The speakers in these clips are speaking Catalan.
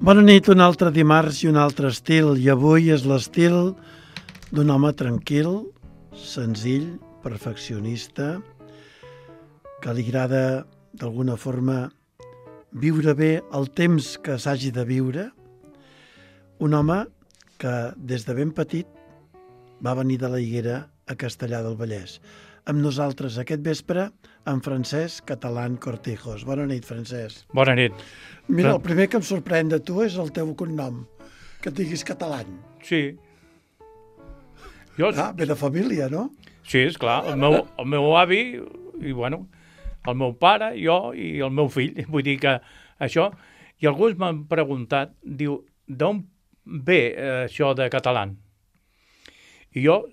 Bona nit, un altre dimarts i un altre estil, i avui és l'estil d'un home tranquil, senzill, perfeccionista, que li agrada d'alguna forma viure bé el temps que s'hagi de viure, un home que des de ben petit va venir de la Higuera a Castellar del Vallès. Amb nosaltres aquest vespre, en Francesc Catalán Cortijos. Bona nit, Francesc. Bona nit. Mira, el primer que em sorprèn de tu és el teu cognom, que et diguis Catalán. Sí. Ve de família, no? Sí, esclar. El meu avi, i bueno, el meu pare, jo i el meu fill. Vull dir que això... I alguns m'han preguntat, diu, d'on ve això de català? I jo,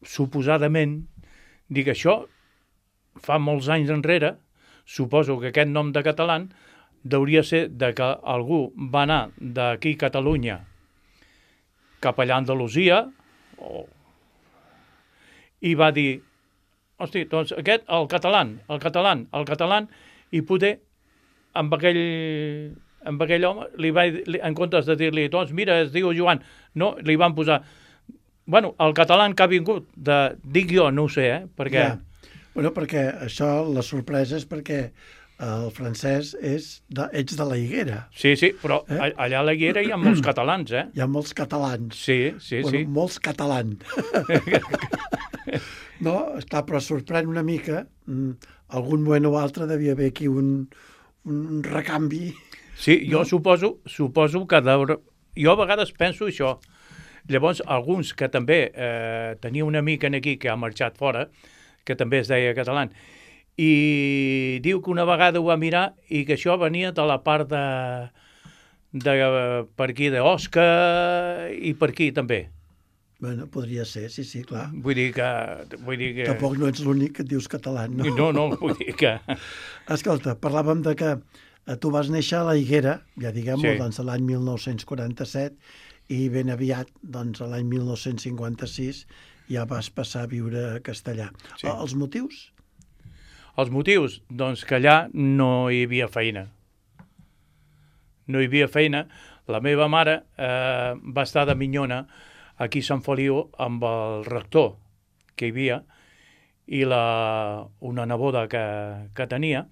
suposadament, dic, això fa molts anys enrere, suposo que aquest nom de català hauria ser de que algú va anar d'aquí a Catalunya cap allà a Andalusia i va dir, hosti, doncs aquest, el català, i poder amb aquell home, en comptes de dir-li, doncs mira, es diu Joan, no, li van posar, bueno, el català que ha vingut, dic jo, no ho sé, perquè... Ja. Bueno, perquè això, la sorpresa és perquè el francès ets de la Higuera. Sí, però allà a la Higuera hi ha molts catalans, Hi ha molts catalans. Sí. Bueno, molts catalans. No, està, però sorprèn una mica. Algun moment o altre devia haver aquí un recanvi. Sí, jo suposo que jo a vegades penso això. Llavors, alguns que també tenia una amica aquí que ha marxat fora, que també es deia català, i diu que una vegada ho va mirar i que això venia de la part de per aquí d'Osca i per aquí també. Bueno, podria ser, sí, clar. Vull dir que... Tampoc no ets l'únic que et dius català, no? No, vull dir que... Escolta, parlàvem de que tu vas néixer a la Higuera, ja diguem-ho, sí. Doncs l'any 1947, i ben aviat, doncs l'any 1956, ja vas passar a viure a Castellar. Sí. Els motius? Els motius? Doncs que allà no hi havia feina. No hi havia feina. La meva mare va estar de minyona aquí a Sant Feliu amb el rector que hi havia i una neboda que tenia,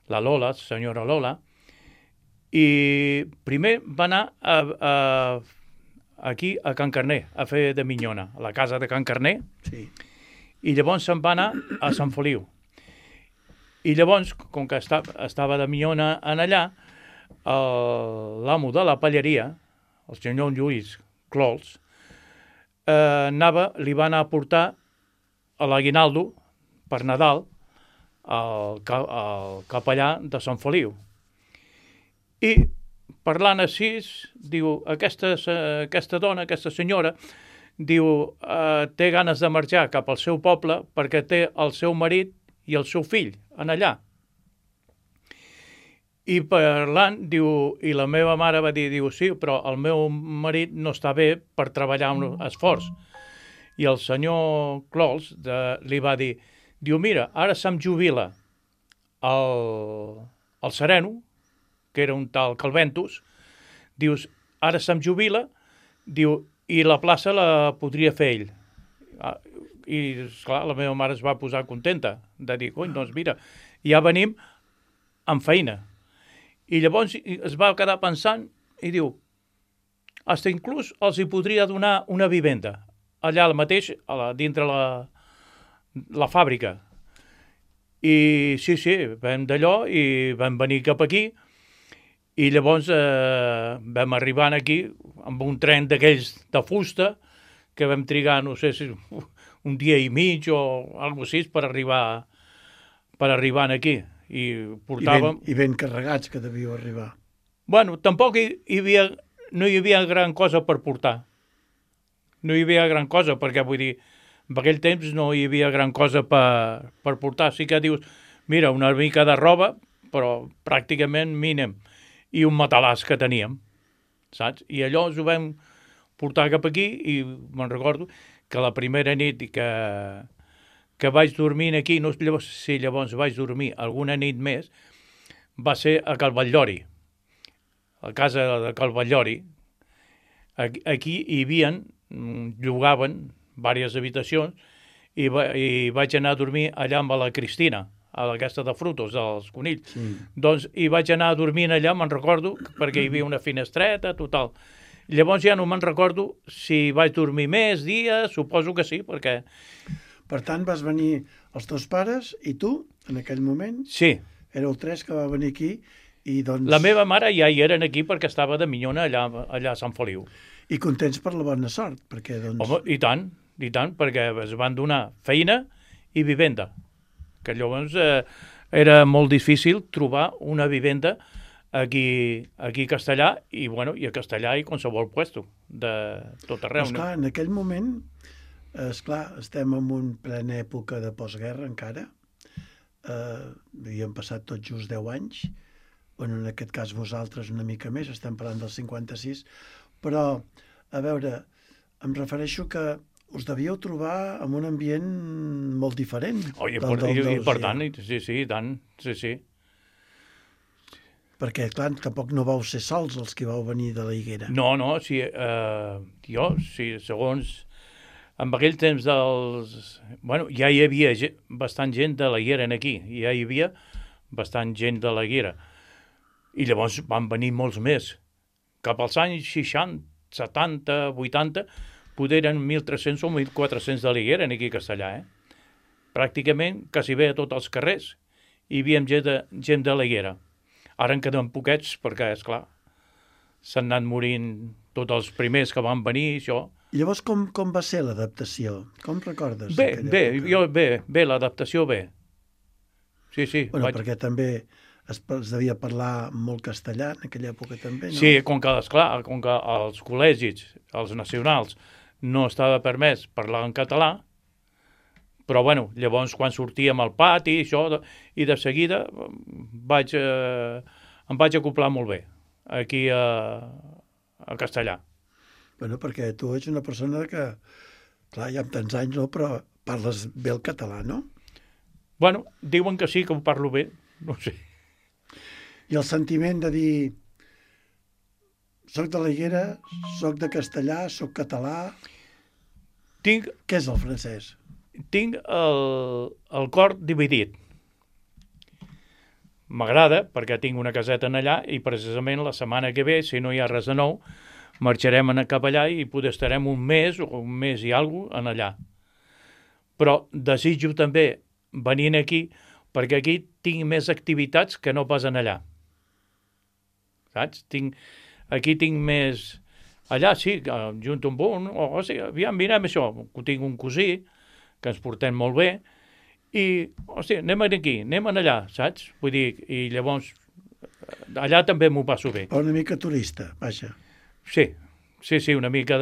la Lola, senyora Lola, i primer va anar aquí a Can Carner, a fer de minyona, a la casa de Can Carner, sí. I llavors se'n va anar a Sant Feliu. I llavors, com que estava de minyona en allà, l'amo de la palleria, el senyor Lluís Clols, li va anar a portar a l'aguinaldo per Nadal al capellà de Sant Feliu. I parlant així, diu, aquesta dona, aquesta senyora, diu, té ganes de marxar cap al seu poble perquè té el seu marit i el seu fill en allà. I parlant, diu, i la meva mare va dir, diu, sí, però el meu marit no està bé per treballar amb esforç. I el senyor Clols li va dir, diu, mira, ara se'm jubila el sereno, que era un tal Calventus, dius, ara se'm jubila, diu, i la plaça la podria fer ell. I, esclar, la meva mare es va posar contenta de dir, cony, doncs mira, ja venim amb feina. I llavors es va quedar pensant i diu, hasta inclús els hi podria donar una vivenda, allà al mateix, dintre la fàbrica. I sí, vam d'allò i vam venir cap aquí, i llavors vam arribar aquí amb un tren d'aquells de fusta que vam trigar, no sé si un dia i mig o alguna cosa així per arribar aquí. I portàvem... I ben carregats que devíeu arribar. Bueno, tampoc no hi havia gran cosa per portar. No hi havia gran cosa, perquè vull dir, en aquell temps no hi havia gran cosa per portar. Sí que dius, mira, una mica de roba, però pràcticament mínim. I un matalàs que teníem, saps? I allò ho vam portar cap aquí i me'n recordo que la primera nit que vaig dormir aquí, no sé si llavors vaig dormir alguna nit més, va ser a Cal Batllori, la casa de Calvallori, aquí hi havia, llogaven diverses habitacions i vaig anar a dormir allà amb la Cristina, a aquesta de frutos, dels conills. Sí. Doncs hi vaig anar a dormir allà, me'n recordo, perquè hi havia una finestreta, total. Llavors ja no me'n recordo si vaig dormir més dies, suposo que sí, perquè... Per tant, vas venir els teus pares i tu, en aquell moment? Sí. Éreu 3 que va venir aquí i doncs... La meva mare ja hi eren aquí perquè estava de minyona allà a Sant Feliu. I contents per la bona sort, perquè doncs... Home, i tant, perquè es van donar feina i vivenda. Que llavors era molt difícil trobar una vivenda aquí a Castellà i a Castellà i qualsevol puesto de tot arreu. Però, esclar, en aquell moment, esclar, estem en una plena època de postguerra encara, havíem passat tot just 10 anys, bueno, en aquest cas vosaltres una mica més, estem parlant del 56, però, a veure, em refereixo que us devíeu trobar en un ambient molt diferent. I per tant, sí, tant, sí. Perquè, clar, tampoc no vau ser sols els que vau venir de la Higuera. No, sí, segons... En aquell temps ja hi havia bastant gent de la Higuera aquí, ja hi havia bastant gent de la Higuera. I llavors van venir molts més. Cap als anys 60, 70, 80, poder eren 1.300 o 1.400 de la Higuera aquí a Castellà. Pràcticament, quasi bé a tots els carrers, hi havia gent de la Higuera. Ara en queden poquets perquè, esclar, s'han anat morint tots els primers que van venir, això. I llavors com va ser l'adaptació? Com recordes? Bé, l'adaptació bé. Sí. Bueno, perquè també es devia parlar molt castellà en aquella època també, no? Sí, com que als col·legis, als nacionals, no estava permès parlar en català, però llavors quan sortíem al pati i de seguida em vaig acoplar molt bé aquí a Castellà. Bueno, perquè tu ets una persona que, clar, ja amb tants anys, no, però parles bé el català, no? Bueno, diuen que sí, que ho parlo bé, no sé. I el sentiment de dir soc de la Higuera, soc de Castellà, soc català... Què és el francès? Tinc el cor dividit. M'agrada perquè tinc una caseta en allà i precisament la setmana que ve, si no hi ha res de nou, marxarem cap allà i poder estarem un mes i alguna cosa en allà. Però desitjo també venir aquí perquè aquí tinc més activitats que no pas en allà. Saps? Aquí tinc més... Allà sí, junto amb un... aviam, mirem això. Tinc un cosí que ens portem molt bé i, anem aquí, anem allà, saps? Vull dir, i llavors allà també m'ho passo bé. Una mica turista, vaja. Sí, una mica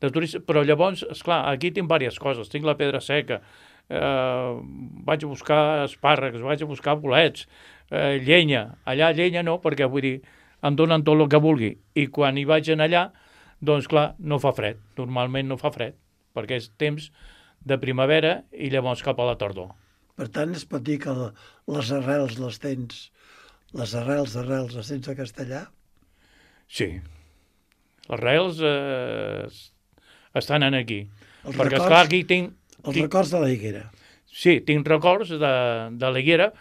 de turista, però llavors, esclar, aquí tinc diverses coses. Tinc la pedra seca, vaig a buscar espàrrecs, vaig a buscar bolets, llenya. Allà llenya no, perquè vull dir, em donen tot el que vulgui. I quan hi vaig allà, doncs clar, no fa fred. Normalment no fa fred, perquè és temps de primavera i llavors cap a la tardor. Per tant, es pot dir que les arrels les tens, les arrels les tens a Castellà? Sí. Les arrels estan aquí. Perquè, esclar, aquí tinc... Els records de la Higuera. Sí, tinc records de la Higuera,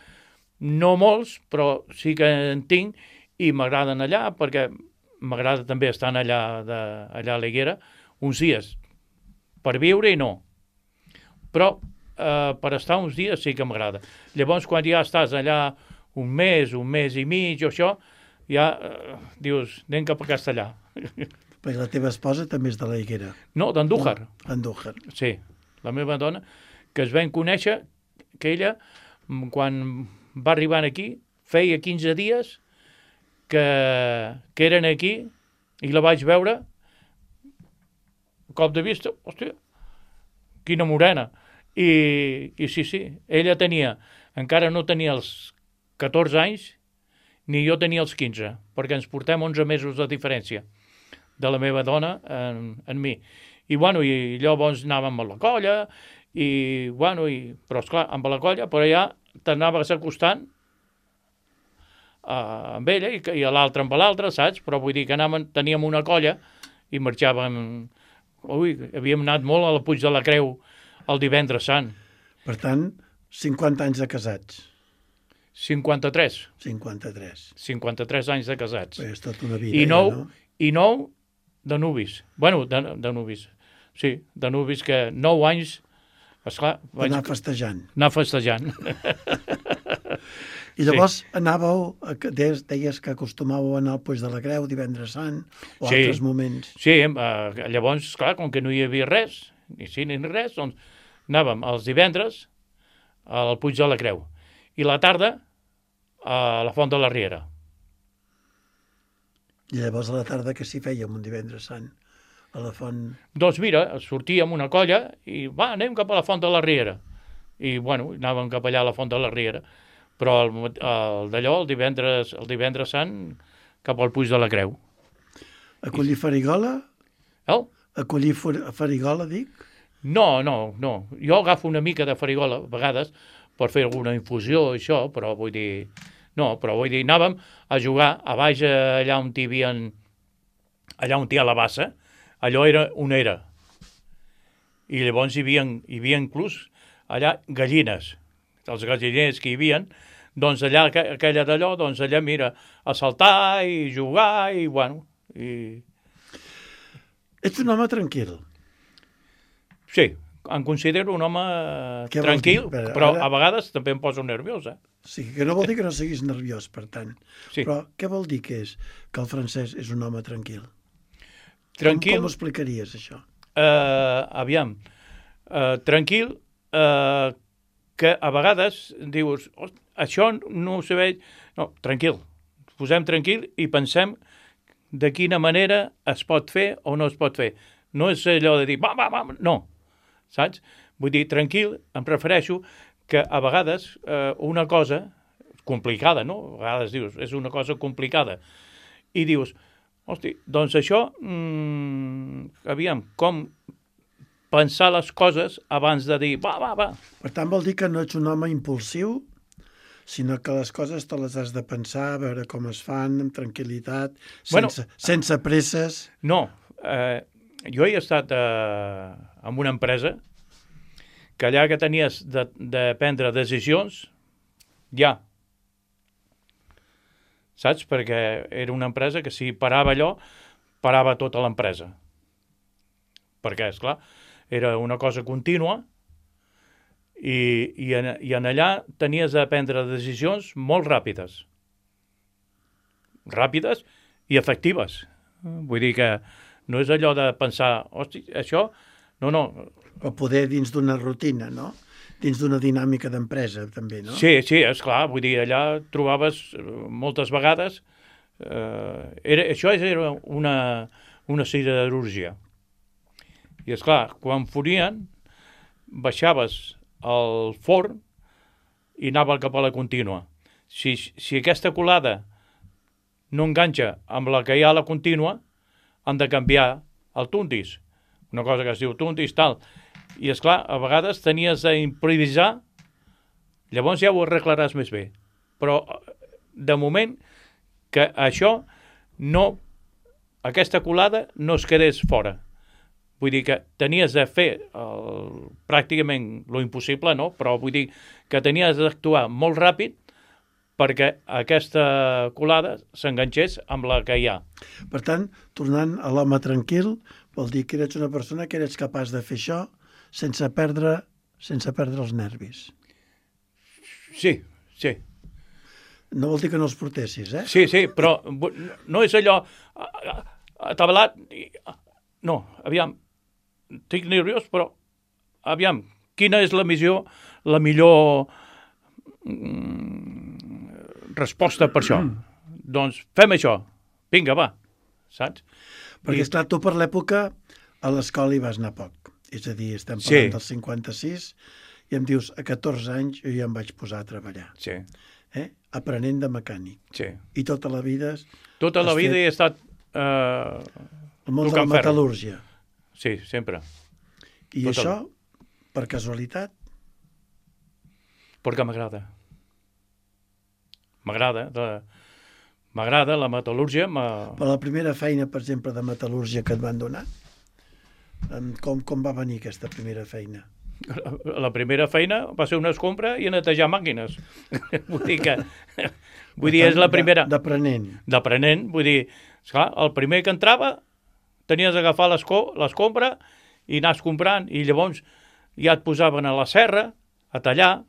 no molts, però sí que en tinc, i m'agraden allà, perquè m'agrada també estar allà a la Higuera uns dies. Per viure i no. Però per estar uns dies sí que m'agrada. Llavors, quan ja estàs allà un mes i mig o això, ja dius, anem cap a Castellà. Perquè la teva esposa també és de la Higuera. No, d'Andújar. Andújar. Sí, la meva dona, que es vam conèixer, que ella, quan va arribar aquí, feia 15 dies que eren aquí i la vaig veure a cop de vista, hòstia, quina morena. I sí, ella encara no tenia els 14 anys, ni jo tenia els 15, perquè ens portem 11 mesos de diferència de la meva dona en mi. I llavors anàvem a la colla, però esclar, amb la colla, però ja t'anaves acostant amb ella i l'altre amb l'altre, saps? Però vull dir que teníem una colla i marxàvem... Ui, havíem anat molt a la Puig de la Creu el divendres sant. Per tant, 50 anys de casats. 53. 53. 53 anys de casats. Bé, és tota una vida, I 9, no? I 9 de nuvis. Bueno, de nuvis. Sí, de nuvis que 9 anys, esclar... Anar festejant. Anar festejant. I llavors anàveu, deies que acostumàveu a anar al Puig de la Creu divendres sant o altres moments. Sí, llavors, clar, com que no hi havia res, ni cine ni res, doncs anàvem els divendres al Puig de la Creu i la tarda a la Font de la Riera. I llavors a la tarda que s'hi fèiem un divendres sant a la font... Doncs mira, sortíem una colla i anem cap a la Font de la Riera. I bueno, anàvem cap allà a la Font de la Riera. Però d'allò, el divendres sant, cap al Puig de la Creu. Acollir farigola? Acollir farigola, dic? No. Jo agafo una mica de farigola, a vegades, per fer alguna infusió, això, però vull dir... No, però vull dir, anàvem a jugar a baix allà on hi havia... Allà on hi ha la bassa, allò era on era. I llavors hi havia inclús allà gallines. Els galliners que hi havia, doncs allà, aquella d'allò, doncs allà, mira, a saltar i jugar i, bueno... Ets un home tranquil. Sí, em considero un home tranquil, però a vegades també em poso nerviós, Sí, que no vol dir que no siguis nerviós, per tant. Sí. Però què vol dir que el Francesc és un home tranquil? Tranquil... Com ho explicaries, això? Aviam, tranquil, que a vegades dius, això no ho sabeu... No, tranquil, posem tranquil i pensem de quina manera es pot fer o no es pot fer. No és allò de dir, va, no, saps? Vull dir, tranquil, em refereixo que a vegades una cosa complicada, no? A vegades dius, és una cosa complicada. I dius, hosti, doncs això, aviam, com pensar les coses abans de dir, va. Per tant, vol dir que no ets un home impulsiu, sinó que les coses te les has de pensar, a veure com es fan, amb tranquil·litat, sense presses. No, jo he estat en una empresa que allà que tenies de prendre decisions, ja. Saps? Perquè era una empresa que si parava allò, parava tota l'empresa. Perquè, esclar, era una cosa contínua i en allà tenies de prendre decisions molt ràpides. Ràpides i efectives. Vull dir que no és allò de pensar, hosti, això... No. O poder dins d'una rutina, no? Dins d'una dinàmica d'empresa, també, no? Sí, esclar, vull dir, allà trobaves moltes vegades... Això era una siderúrgia. I, esclar, quan forien, baixaves al forn i anava cap a la contínua. Si aquesta colada no enganxa amb la que hi ha a la contínua, han de canviar el tundis. Una cosa que es diu tundis, tal. I, esclar, a vegades tenies d'improvisar, llavors ja ho arreglaràs més bé. Però, de moment, que això no... Aquesta colada no es quedés fora. Vull dir que tenies de fer pràcticament lo impossible, no? Però vull dir que tenies d'actuar molt ràpid perquè aquesta colada s'enganxés amb la que hi ha. Per tant, tornant a l'home tranquil, vol dir que eres una persona que eres capaç de fer això sense perdre els nervis. Sí. No vol dir que no els portessis, eh? Sí, però no és allò atabalat. No, aviam, estic nerviós, però aviam, quina és la millor resposta per això? Doncs fem això. Vinga, va. Saps? Perquè, esclar, tu per l'època a l'escola hi vas anar poc. És a dir, estem parlant del 56 i em dius, a 14 anys jo ja em vaig posar a treballar. Sí. Aprenent de mecànic. Sí. I tota la vida... Tota la vida he estat... el món de la metal·lúrgia. Sí, sempre. I això, per casualitat? Perquè m'agrada. M'agrada. M'agrada la metal·lúrgia. Per la primera feina, per exemple, de metal·lúrgia que et van donar, com va venir aquesta primera feina? La primera feina va ser una escombra i a netejar màquines. Vull dir, és la primera... D'aprenent. D'aprenent, vull dir, esclar, el primer que entrava tenies d'agafar l'escombra i anar escombrant, i llavors ja et posaven a la serra a tallar.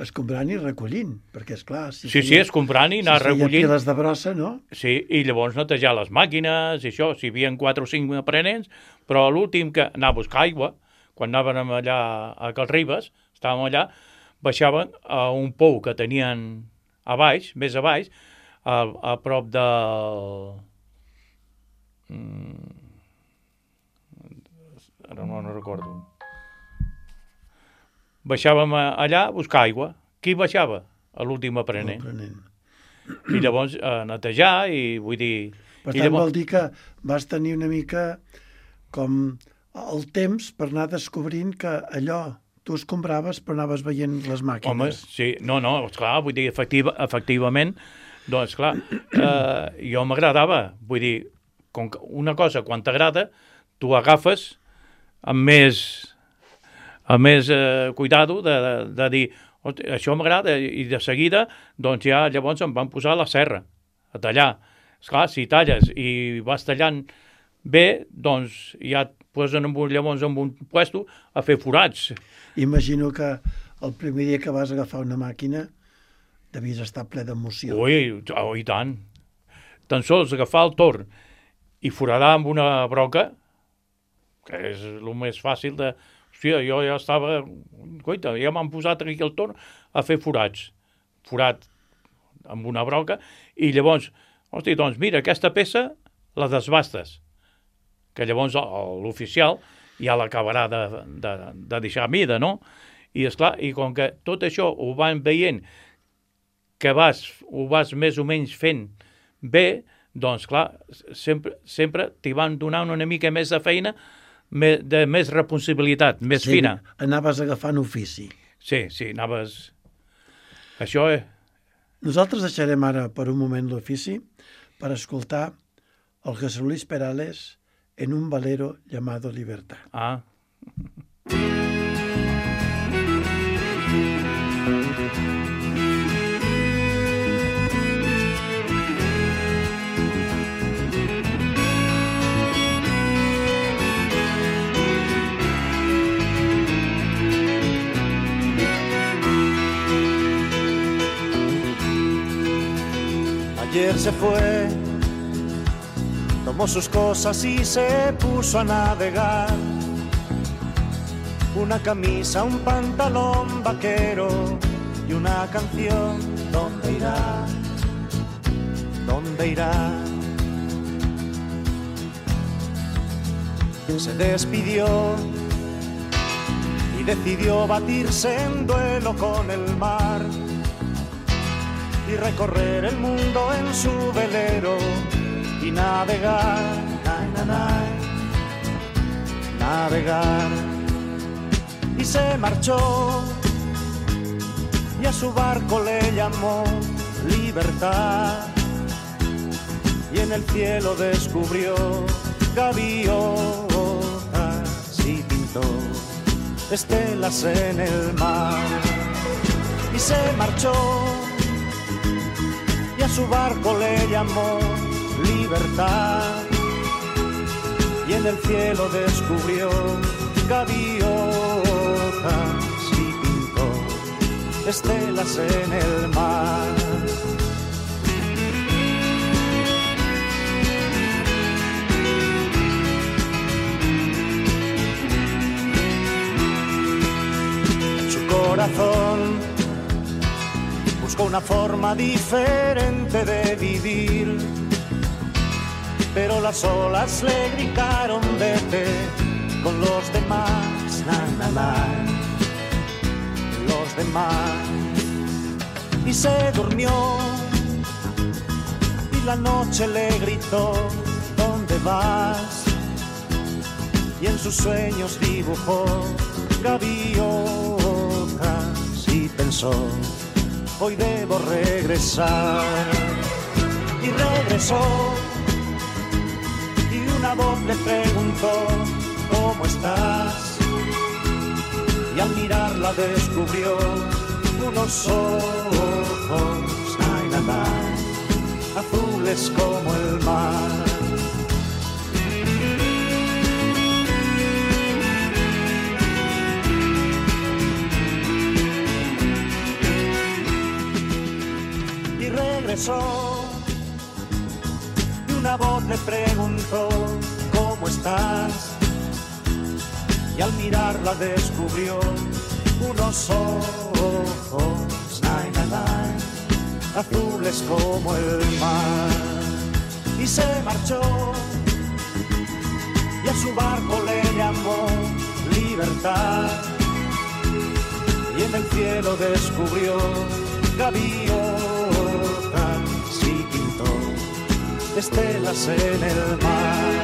Escombrant i recollint, perquè, esclar... Sí, escombrant i anar recollint. Si feia piles de brossa, no? Sí, i llavors netejar les màquines i això, si hi havia 4 o 5 aprenents, però l'últim que anava a buscar aigua, quan anàvem allà a Calribes, estàvem allà, baixaven a un pou que tenien a baix, més a baix, a prop del... Ara no recordo. Baixàvem allà a buscar aigua. Qui baixava? L'últim aprenent. I llavors a netejar i vull dir... Per tant, vol dir que vas tenir una mica com el temps per anar descobrint que allò tu escombraves però anaves veient les màquines. Home, sí, no, esclar, vull dir, efectivament, doncs, esclar, jo m'agradava, vull dir, com que una cosa, quan t'agrada, tu agafes amb més cuidado de dir, això m'agrada, i de seguida, doncs ja llavors em van posar a la serra, a tallar. Esclar, si talles i vas tallant bé, doncs ja et posen llavors en un puesto a fer forats. Imagino que el primer dia que vas agafar una màquina devies estar ple d'emoció. Ui, i tant. Tan sols agafar el torn i foradar amb una broca, que és el més fàcil de... Hòstia, jo ja estava... Coita, ja m'han posat aquí el torn a fer forats. Forat amb una broca, i llavors, hòstia, doncs mira, aquesta peça la desbastes, que llavors l'oficial ja l'acabarà de deixar a mida, no? I esclar, i com que tot això ho van veient que ho vas més o menys fent bé, doncs clar, sempre t'hi van donar una mica més de feina, de més responsabilitat, més fina. Anaves agafant ofici. Sí, anaves... Això és... Nosaltres deixarem ara per un moment l'ofici per escoltar el José Luis Perales en un valero llamado Libertad. Ah. Ayer se fue, tomó sus cosas y se puso a navegar. Una camisa, un pantalón vaquero y una canción. ¿Dónde irá? ¿Dónde irá? Se despidió y decidió batirse en duelo con el mar y recorrer el mundo en su velero y navegar, navegar. Y se marchó y a su barco le llamó Libertad, y en el cielo descubrió gaviotas y pintó estelas en el mar. Y se marchó y a su barco le llamó Libertad, y en el cielo descubrió gaviotas y pintó estelas en el mar. En su corazón buscó una forma diferente de vivir, pero las olas le gritaron vete con los demás, los demás. Y se durmió y la noche le gritó ¿dónde vas? Y en sus sueños dibujó gaviotas y pensó hoy debo regresar. y regresó. Y una voz le preguntó, ¿cómo estás? Y al mirarla descubrió unos ojos, ay, la, la, azules como el mar. Y regresó, y una voz le preguntó, ¿cómo estás? Y al mirarla descubrió unos ojos, ay, ay, ay, azules como el mar. Y se marchó, y a su barco le llamó Libertad. Y en el cielo descubrió gaviotas y pintó estelas en el mar.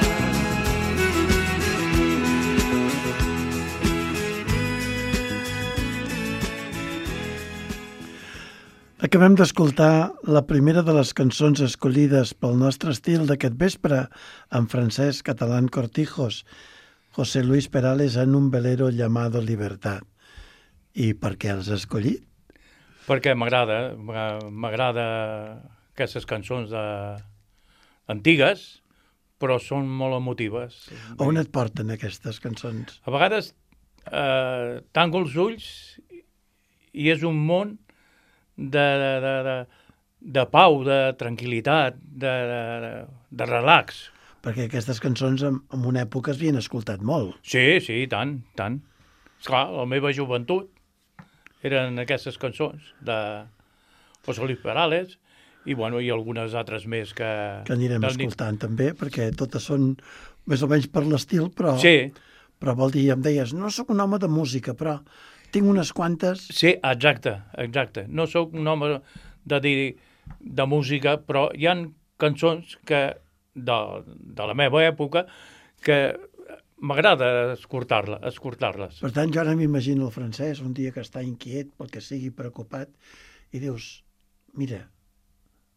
Acabem d'escoltar la primera de les cançons escollides pel nostre estil d'aquest vespre, en francès catalán Cortijos, José Luis Perales en un velero llamado Libertad. I per què els has escollit? Perquè m'agrada aquestes cançons antigues, però són molt emotives. On et porten aquestes cançons? A vegades tanco els ulls i és un món de pau, de tranquil·litat, de relax. Perquè aquestes cançons en una època es havien escoltat molt. Sí, tant. Esclar, la meva joventut eren aquestes cançons de José Luis Perales i algunes altres més que anirem escoltant també, perquè totes són més o menys per l'estil, però, sí. Però vol dir, em deies, no sóc un home de música, però tinc unes quantes... Sí, exacte. No sóc un home de música, però hi ha cançons de la meva època que m'agrada escoltar-les. Per tant, jo ara m'imagino el francès un dia que està inquiet, pel que sigui preocupat, i dius, mira,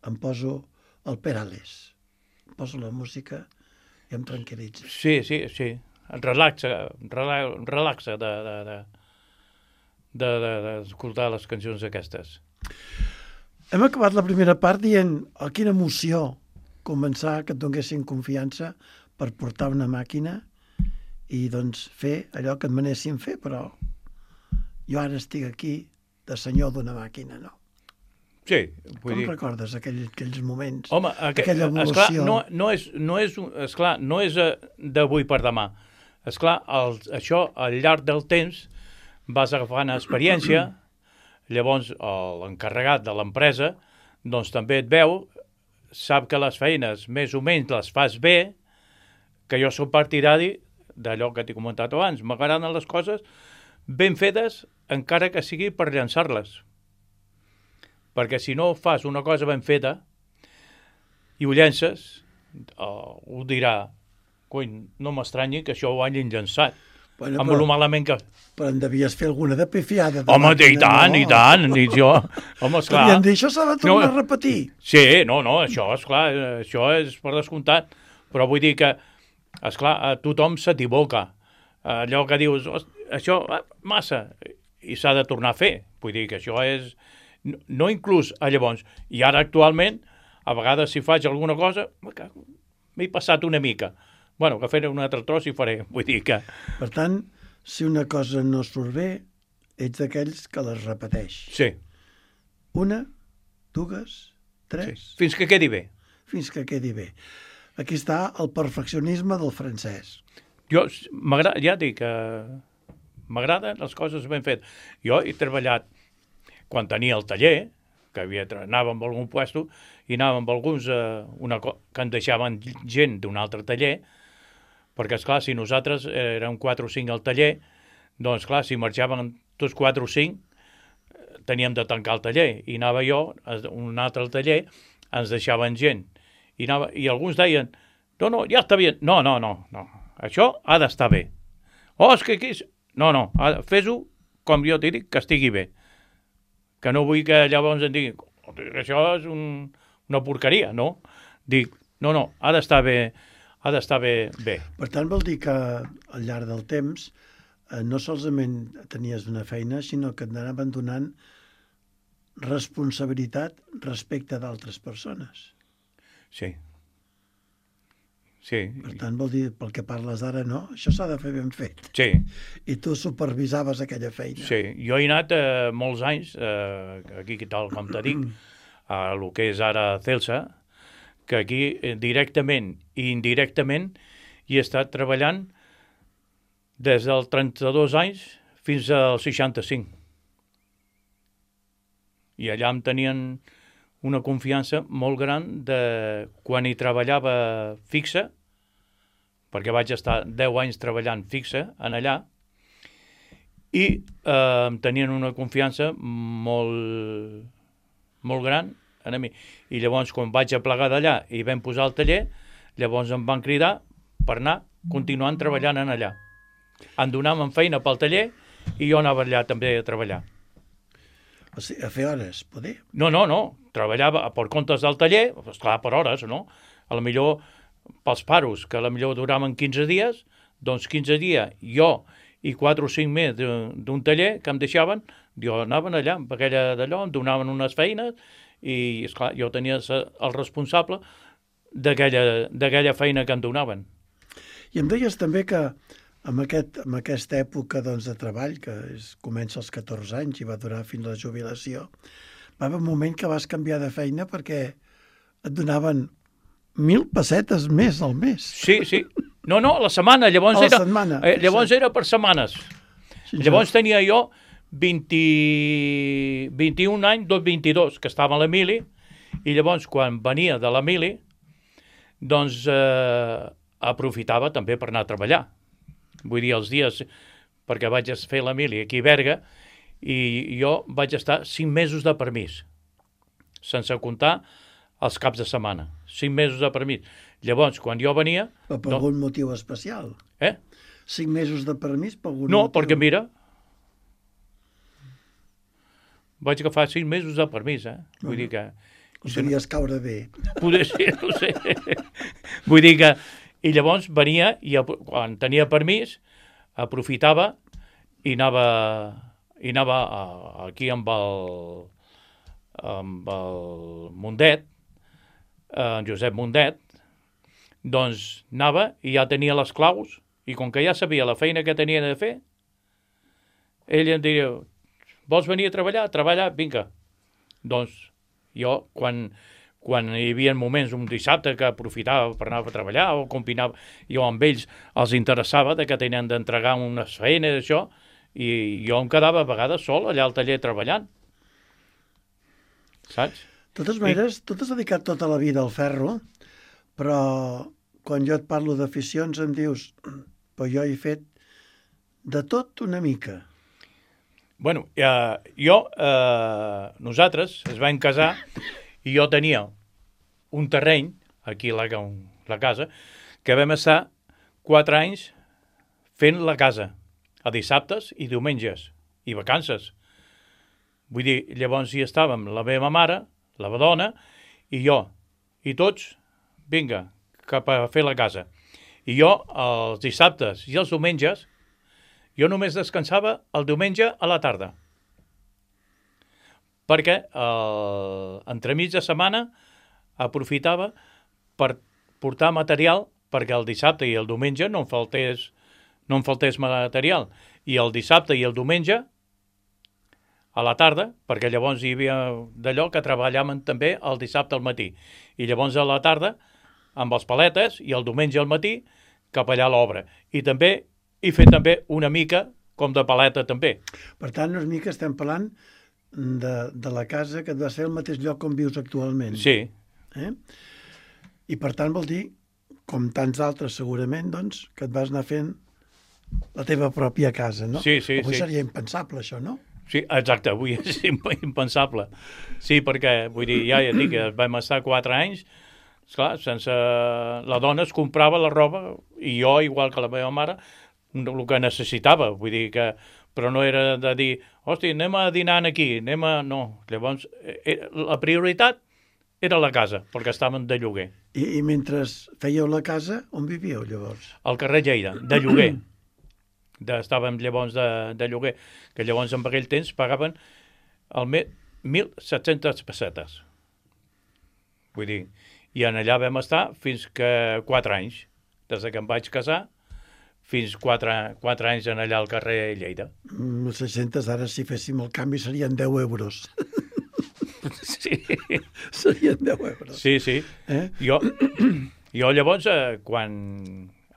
em poso el Perales, em poso la música i em tranquil·litza. Sí. Em relaxa d'escoltar les cançons aquestes. Hem acabat la primera part dient, quina emoció començar que et donessin confiança per portar una màquina i doncs fer allò que et manessin fer, però jo ara estic aquí de senyor d'una màquina, no? Sí, vull dir... Com recordes aquells moments? Home, aquella evolució? Esclar, no és d'avui per demà. Esclar, això al llarg del temps vas agafant experiència, llavors l'encarregat de l'empresa doncs també et veu, sap que les feines més o menys les fas bé, que jo soc partidari d'allò que t'he comentat abans. M'agraden les coses ben fetes, encara que sigui per llançar-les. Perquè si no fas una cosa ben feta i ho llences, ho dirà, cony, no m'estranyi que això ho hagin llançat. Bueno, amb lo malament que... Però en devies fer alguna de pifiada. Home, i tant. I jo... Home, esclar... Podríem dir, això s'ha de tornar a repetir. Sí, això, esclar, això és per descomptat. Però vull dir que, esclar, tothom s'equivoca. Allò que dius, això, massa, i s'ha de tornar a fer. Vull dir que això és... No inclús llavors. I ara, actualment, a vegades si faig alguna cosa, m'he passat una mica. Bueno, que faré un altre tros i faré. Vull dir que... Per tant, si una cosa no surt bé, ets d'aquells que les repeteix. Sí. Una, dues, tres... Sí. Fins que quedi bé. Fins que quedi bé. Aquí està el perfeccionisme del francès. Jo, ja dic que m'agraden les coses ben fetes. Jo he treballat, quan tenia el taller, que anava amb algun puesto, i anava amb alguns que en deixaven gent d'un altre taller, perquè, esclar, si nosaltres érem 4 o 5 al taller, doncs, clar, si marxaven tots 4 o 5, teníem de tancar el taller. I anava jo a un altre taller, ens deixaven gent. I alguns deien, no, ja està bé. No, això ha d'estar bé. Oh, és que aquí... No, fes-ho com jo t'he dit, que estigui bé. Que no vull que llavors em diguin, això és una porqueria, no? Dic, no, ha d'estar bé, bé. Per tant, vol dir que al llarg del temps no solament tenies una feina, sinó que et anaven donant responsabilitat respecte d'altres persones. Sí. Per tant, vol dir, pel que parles ara, no? Això s'ha de fer ben fet. Sí. I tu supervisaves aquella feina. Sí, jo he anat molts anys, aquí tal com te dic, a el que és ara Celsa, que aquí directament i indirectament hi he estat treballant des dels 32 anys fins als 65. I allà em tenien una confiança molt gran de quan hi treballava fixa, perquè vaig estar 10 anys treballant fixa en allà, i em tenien una confiança molt gran a mi. I llavors, quan vaig a plegar d'allà i vam posar el taller, llavors em van cridar per anar continuant treballant en allà. Em donaven feina pel taller i jo anava allà també a treballar. O sigui, a fer hores, poder? No. Treballava per comptes del taller, esclar, per hores, no? A la millor pels paros, que a la millor duraven 15 dies, doncs 15 dies jo i 4 o 5 més d'un taller que em deixaven, jo anaven allà amb aquella d'allò, em donaven unes feines i, esclar, jo tenia el responsable d'aquella feina que em donaven. I em deies també que en aquesta època doncs, de treball, que comença als 14 anys i va durar fins a la jubilació, va haver un moment que vas canviar de feina perquè et donaven 1.000 pessetes més al mes. Sí. No, a la setmana. Llavors era per setmanes. Sí, llavors tenia jo 21 anys, 22, que estava a l'Emili, i llavors quan venia de l'Emili, doncs aprofitava també per anar a treballar. Vull dir, els dies, perquè vaig fer l'Emili aquí a Berga, i jo vaig estar 5 mesos de permís, sense comptar els caps de setmana. 5 mesos de permís. Llavors, quan jo venia... Però per algun motiu especial? 5 mesos de permís per algun motiu? No, perquè mira, vaig agafar 5 mesos de permís, Vull dir que... Podries caure bé. Poder ser, no sé. Vull dir que... I llavors venia, i quan tenia permís, aprofitava i anava aquí amb el Mundet, en Josep Mundet, doncs anava i ja tenia les claus, i com que ja sabia la feina que tenia de fer, ell em diria, vols venir a treballar? Treballar, vinga. Doncs jo, quan hi havia moments, un dissabte, que aprofitava per anar a treballar o combinava, jo amb ells els interessava que tenien d'entregar unes feines, això, i jo em quedava a vegades sol allà al taller treballant. Saps? De totes maneres, tu t'has dedicat tota la vida al ferro, però quan jo et parlo d'aficions em dius, però jo he fet de tot una mica. Bueno, nosaltres es vam casar i jo tenia un terreny, aquí a la casa, que vam estar 4 anys fent la casa, a dissabtes i diumenges, i vacances. Vull dir, llavors hi estàvem la meva mare, la dona, i jo, i tots, vinga, cap a fer la casa. I jo, els dissabtes i els diumenges, jo només descansava el diumenge a la tarda. Perquè entremig de setmana aprofitava per portar material perquè el dissabte i el diumenge no em faltés material. I el dissabte i el diumenge a la tarda, perquè llavors hi havia d'allò que treballàvem també el dissabte al matí. I llavors a la tarda, amb els paletes, i el diumenge al matí, cap allà a l'obra. I també he fet també una mica com de paleta també. Per tant, una mica estem parlant de la casa que et va ser el mateix lloc on vius actualment. Sí. I per tant vol dir, com tants altres segurament, doncs, que et vas anar fent la teva pròpia casa, no? Sí. Avui seria impensable, això, no? Sí, exacte, avui és impensable. Sí, perquè, vull dir, ja dic que vam estar 4 anys, esclar, sense... La dona es comprava la roba, i jo, igual que la meva mare, el que necessitava, vull dir que... Però no era de dir, hosti, anem a dinar aquí, No, llavors, la prioritat era la casa, perquè estàvem de lloguer. I mentre fèieu la casa, on vivíeu llavors? Al carrer Lleida, de lloguer. Estàvem llavors de lloguer, que llavors en aquell temps pagaven al mes 1.700 pessetes. Vull dir, i en allà vam estar fins que 4 anys. Des que em vaig casar, fins 4 anys en allà al carrer Lleida. 600, ara si féssim el canvi serien 10 euros. Sí. Serien 10 euros. Sí, sí. Jo llavors, quan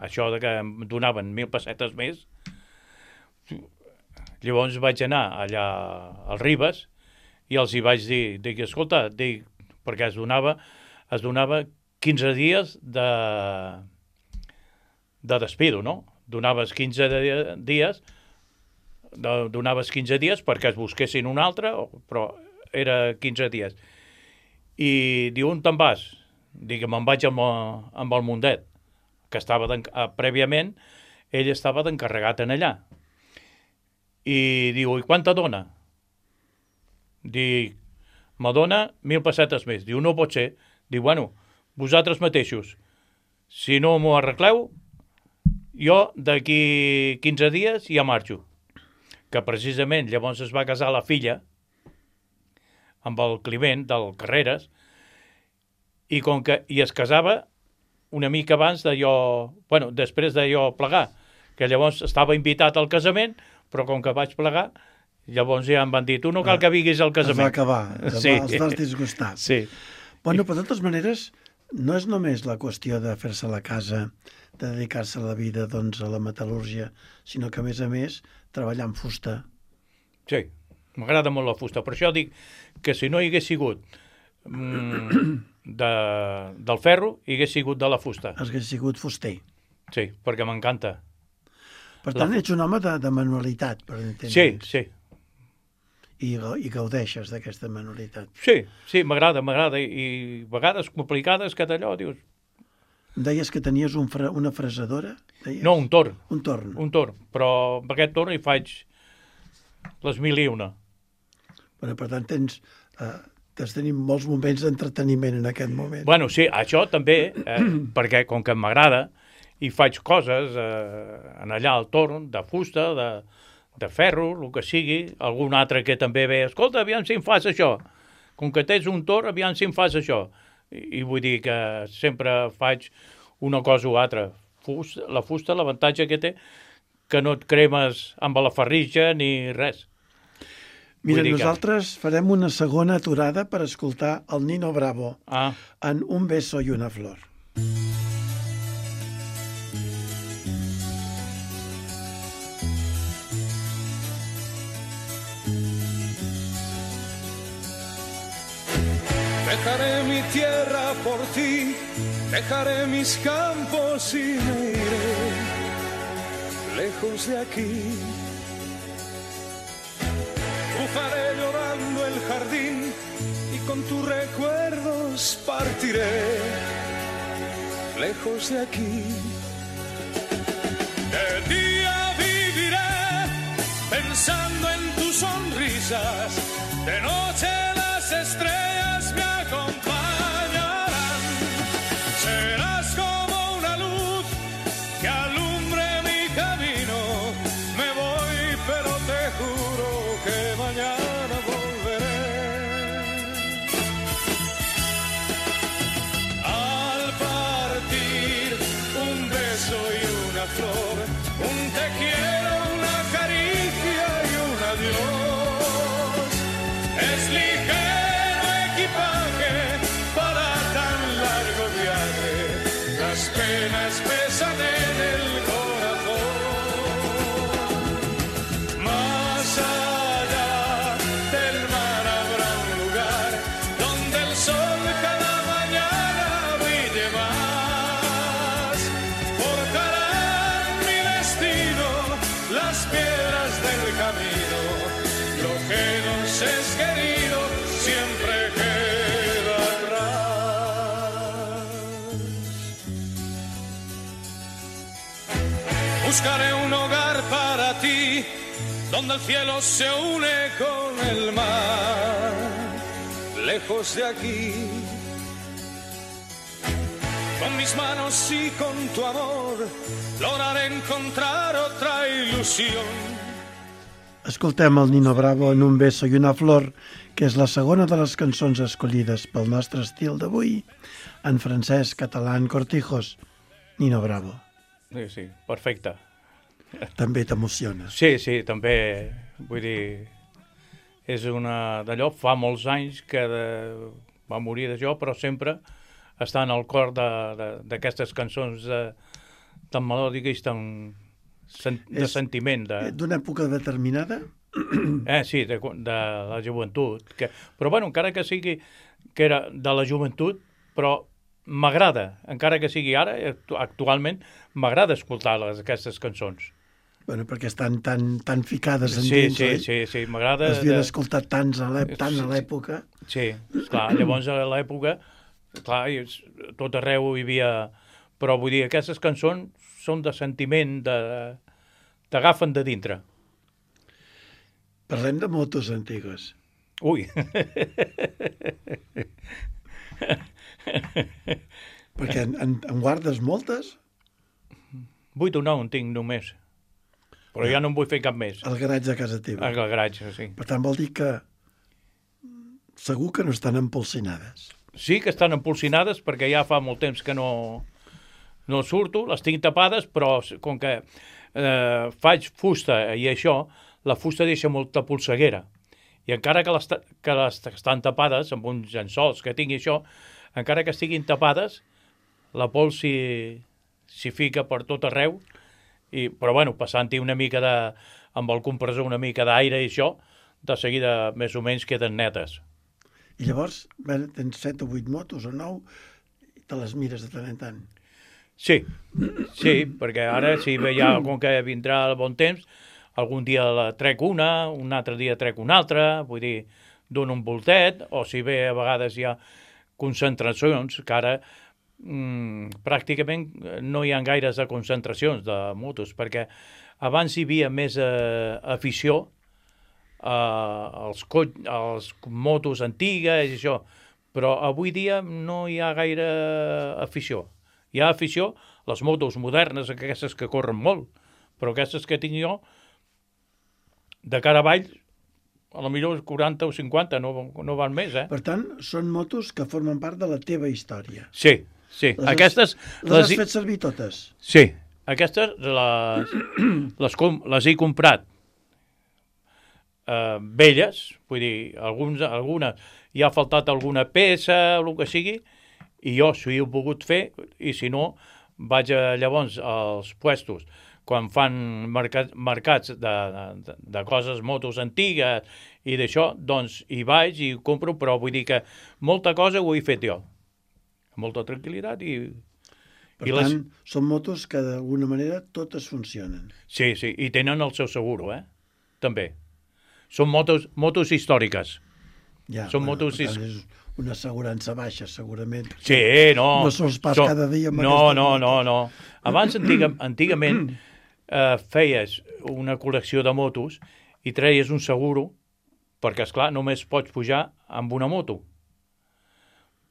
això de que em donaven 1.000 pessetes més, llavors vaig anar allà al Ribes i els hi vaig dir, escolta, perquè es donava 15 dies de despido, no? Donaves 15 dies perquè es busquessin un altre, però era 15 dies. I diu, on te'n vas? Dic, me'n vaig amb el Mundet, que estava prèviament, ell estava d'encarregat en allà. I diu, i quant te dona? Dic, me dona 1.000 pessetes més. Diu, no pot ser. Diu, bueno, vosaltres mateixos, si no m'ho arregleu, jo d'aquí 15 dies ja marxo. Que precisament llavors es va casar la filla amb el Climent del Carreras i es casava una mica abans de jo, bueno, després de jo plegar, que llavors estava invitat al casament, però com que vaig plegar, llavors ja em van dir, tu no cal que viguis al casament. Es va acabar, estàs disgustat. Sí. Bueno, però de totes maneres, no és només la qüestió de fer-se la casa, de dedicar-se a la vida, doncs, a la metal·lúrgia, sinó que, a més, treballar amb fusta. Sí, m'agrada molt la fusta. Per això dic que si no hi hagués sigut del ferro, hi hagués sigut de la fusta. Hagués sigut fuster. Sí, perquè m'encanta. Per tant, ets un home de manualitat, per entendre'ns. Sí, sí. I gaudeixes d'aquesta manualitat. Sí, m'agrada. I vegades complicades que d'allò, dius... Em deies que tenies una fresadora? Deies? No, un torn. Un torn. Un torn, però amb aquest torn hi faig les 1.001. Bueno, per tant, has tenit molts moments d'entreteniment en aquest moment. Bueno, sí, això també, perquè com que m'agrada, i faig coses en allà al torn, de fusta, de ferro, el que sigui, algun altre que també ve, escolta, aviam si em fas això. Com que tens un torn, aviam si em fas això. I vull dir que sempre faig una cosa o altra. La fusta, l'avantatge que té, que no et cremes amb la ferritja ni res. Mira, nosaltres farem una segona aturada per escoltar el Nino Bravo en Un beso y una flor. Dejaré mi tierra por ti, dejaré mis campos y me iré lejos de aquí. Cruzaré llorando el jardín y con tus recuerdos partiré lejos de aquí. De día viviré pensando en tus sonrisas, de noche las estrellas me acompañarán. Serás como una luz que alumbre mi camino. Me voy, pero te juro que mañana volveré. Al partir, un beso y una flor, un te quiero, una caricia y un adiós. Es ligero equipaje para tan largo viaje, las penas pesan en el corazón. Más allá del mar habrá un lugar donde el sol cada mañana brille más. Forjarán mi destino las piedras del camino, lo que nos es querido siempre queda atrás. Buscaré un hogar para ti, donde el cielo se une con el mar. Lejos de aquí, con mis manos y con tu amor lograré encontrar otra ilusión. Escoltem el Nino Bravo en Un beso i una flor, que és la segona de les cançons escollides pel nostre estil d'avui, en francès, català, en cortijos. Nino Bravo. Sí, sí, perfecte. També t'emociona. Sí, sí, també, vull dir, és una d'allò, fa molts anys que va morir d'això, però sempre està en el cor d'aquestes cançons tan melòdiques, tan de sentiment. D'una època determinada? Sí, de la joventut. Però, bueno, encara que sigui que era de la joventut, però m'agrada, encara que sigui ara, actualment, m'agrada escoltar aquestes cançons. Bueno, perquè estan tan ficades en dins, oi? Sí, m'agrada. Les havien escoltat tant a l'època. Sí, esclar, llavors a l'època, clar, tot arreu hi havia... Però vull dir, aquestes cançons són de sentiment, t'agafen de dintre. Parlem de motos antigues. Ui! Perquè en guardes moltes? 8 o 9 en tinc només. Però ja no en vull fer cap més. Al garatge de casa teva. Al garatge, sí. Per tant, vol dir que segur que no estan empolsinades. Sí que estan empolsinades perquè ja fa molt temps que no surto, les tinc tapades, però com que faig fusta i això, la fusta deixa molta polseguera. I encara que les estan tapades amb uns llençols que tingui això, encara que estiguin tapades, la pols s'hi fica per tot arreu. Però, bueno, passant-hi una mica amb el compressor una mica d'aire i això, de seguida més o menys queden netes. I llavors, tens 7 o 8 motos o 9 i te les mires de tant en tant. Sí, perquè ara, si ja, com que vindrà el bon temps, algun dia la trec un altre dia trec una altra, vull dir, dono un voltet, o si bé a vegades hi ha concentracions, que ara pràcticament no hi ha gaires de concentracions de motos, perquè abans hi havia més afició als motos antigues i això, però avui dia no hi ha gaire afició. Hi ha afició a les motos modernes, aquestes que corren molt, però aquestes que tinc jo, de cara avall, a lo millor 40 o 50, no van més, Per tant, són motos que formen part de la teva història. Sí. Aquestes... Les has fet servir totes? Sí. Aquestes les he comprat velles, vull dir, algunes hi ha faltat alguna peça, el que sigui, i jo s'ho he pogut fer, i si no, vaig llavors als puestos, quan fan mercats de coses, motos antigues i d'això, doncs hi vaig i compro, però vull dir que molta cosa ho he fet jo. Molta tranquil·litat i... Per tant, són motos que d'alguna manera totes funcionen. Sí, i tenen el seu seguro, també. Són motos històriques. Ja, són motos... Per tant, és una assegurança baixa, segurament. Sí, no. No surts pas cada dia amb No. Abans, antigament, feies una col·lecció de motos i treies un seguro, perquè, esclar, només pots pujar amb una moto.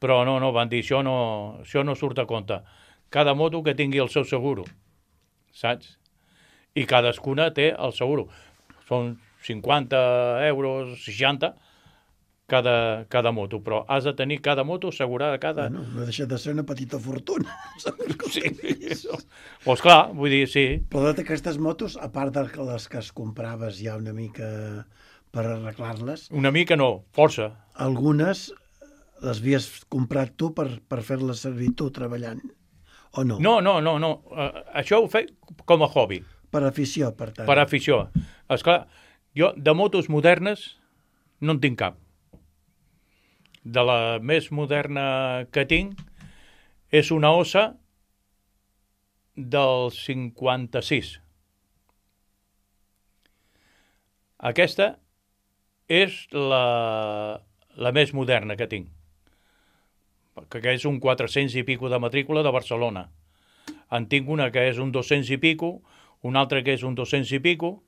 Però no, van dir, això no surt a compte. Cada moto que tingui el seu seguro, saps? I cadascuna té el seguro. Són 50 euros, 60, cada moto, però has de tenir cada moto assegurada cada... Bueno, no deixa de ser una petita fortuna. Sí. Pues clar, vull dir, sí. Però d'aquestes motos, a part de les que es compraves ja una mica per arreglar-les... Una mica no, força. Algunes les havies comprat tu per fer-les servir tu treballant, o no? No. Això ho faig com a hobby. Per afició, per tant. Per afició. Esclar, jo de motos modernes no en tinc cap. De la més moderna que tinc és una Ossa del 56. Aquesta és la més moderna que tinc, que és un 400 i pico de matrícula de Barcelona. En tinc una que és un 200 i pico, una altra que és un 200 i pico,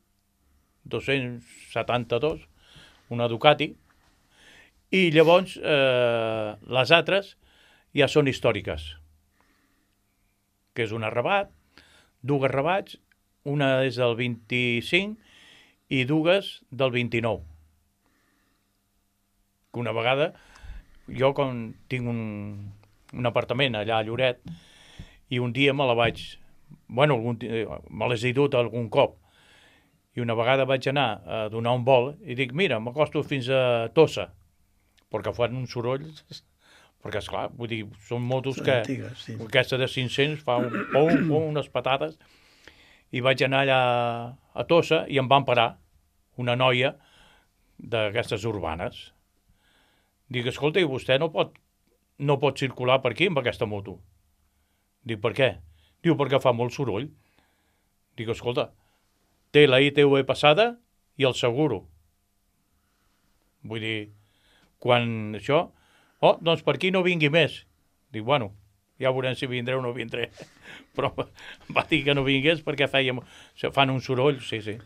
272, una Ducati, i llavors les altres ja són històriques. que és un arrabat, dues rabats, una és del 25 i dues del 29. Una vegada, jo com tinc un apartament allà a Lloret, i un dia me la vaig... Bueno, me l'he dut algun cop. I una vegada vaig anar a donar un vol i dic, mira, m'acosto fins a Tossa, perquè fan uns sorolls, perquè, esclar, vull dir, són motos que... Antigues, sí. Aquesta de 500 fa un pom, unes patates, i vaig anar allà a Tossa i em van parar una noia d'aquestes urbanes. Dic, escolta, i vostè no pot circular per aquí amb aquesta moto? Dic, per què? Diu, perquè fa molt soroll. Dic, escolta, té la ITV passada i el seguro. Vull dir, quan això... Oh, doncs per aquí no vingui més. Dic, bueno, ja veurem si vindré o no vindré. Però va dir que no vingués perquè fan un soroll, sí.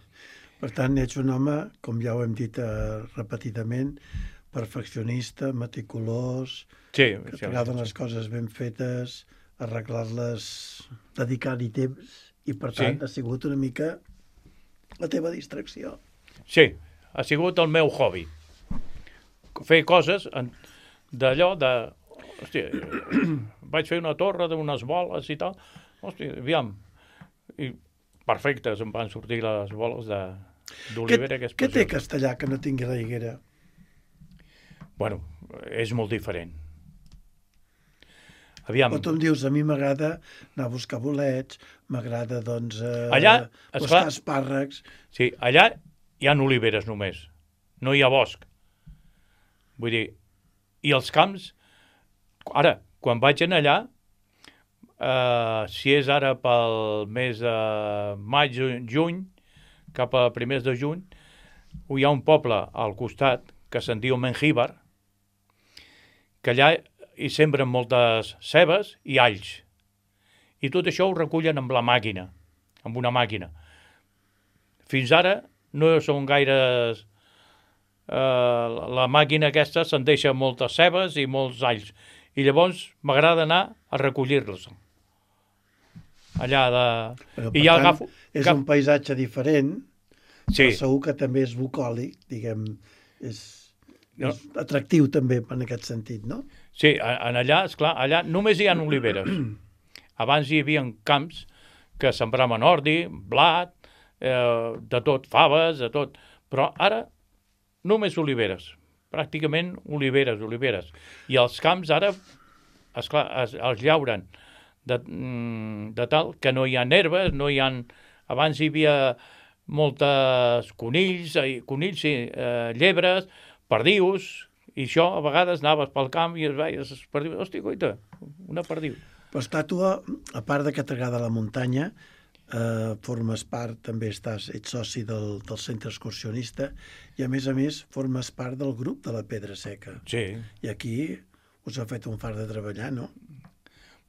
Per tant, ets un home, com ja ho hem dit repetidament, perfeccionista, meticulós, sí, que t'agraden les coses ben fetes, arreglar-les, dedicar-hi temps, i per tant ha sigut una mica la teva distracció. Sí, ha sigut el meu hobby. Fer coses d'allò de... Hòstia, vaig fer una torre d'unes boles i tal. Hòstia, aviam. I perfectes em van sortir les boles d'olivera. Què té Castellà que no tingui la Higuera? Bueno, és molt diferent. Aviam. O tu em dius, a mi m'agrada anar a buscar bolets, m'agrada, doncs, buscar espàrrecs... Sí, allà hi ha oliveres només, no hi ha bosc. Vull dir, i els camps... Ara, quan vaig anar allà, si és ara pel mes de maig, juny, cap a primers de juny, hi ha un poble al costat que se'n diu Mengíbar, que allà hi sembren moltes cebes i alls. I tot això ho recullen amb la màquina, amb una màquina. Fins ara no són gaires... la màquina aquesta se'n deixa moltes cebes i molts alls. I llavors m'agrada anar a recollir-los. Allà de... Però, per tant, és un paisatge diferent, però segur que també és bucòlic, diguem, és atractiu també en aquest sentit, no? Sí, allà, esclar, allà només hi ha oliveres. Abans hi havia camps que sembraven ordi, blat, de tot, faves, de tot. Però ara només oliveres, pràcticament oliveres. I els camps ara, esclar, els llauren de tal que no hi ha herbes, no hi ha... Abans hi havia moltes conills, llebres, perdius, i això a vegades anaves pel camp i es veies perdius. Hòstia, coita, una perdiu. Però està tu, a part de que t'agrada la muntanya, formes part, també ets soci del centre excursionista i a més formes part del grup de la Pedra Seca. Sí. I aquí us ha fet un fart de treballar, no?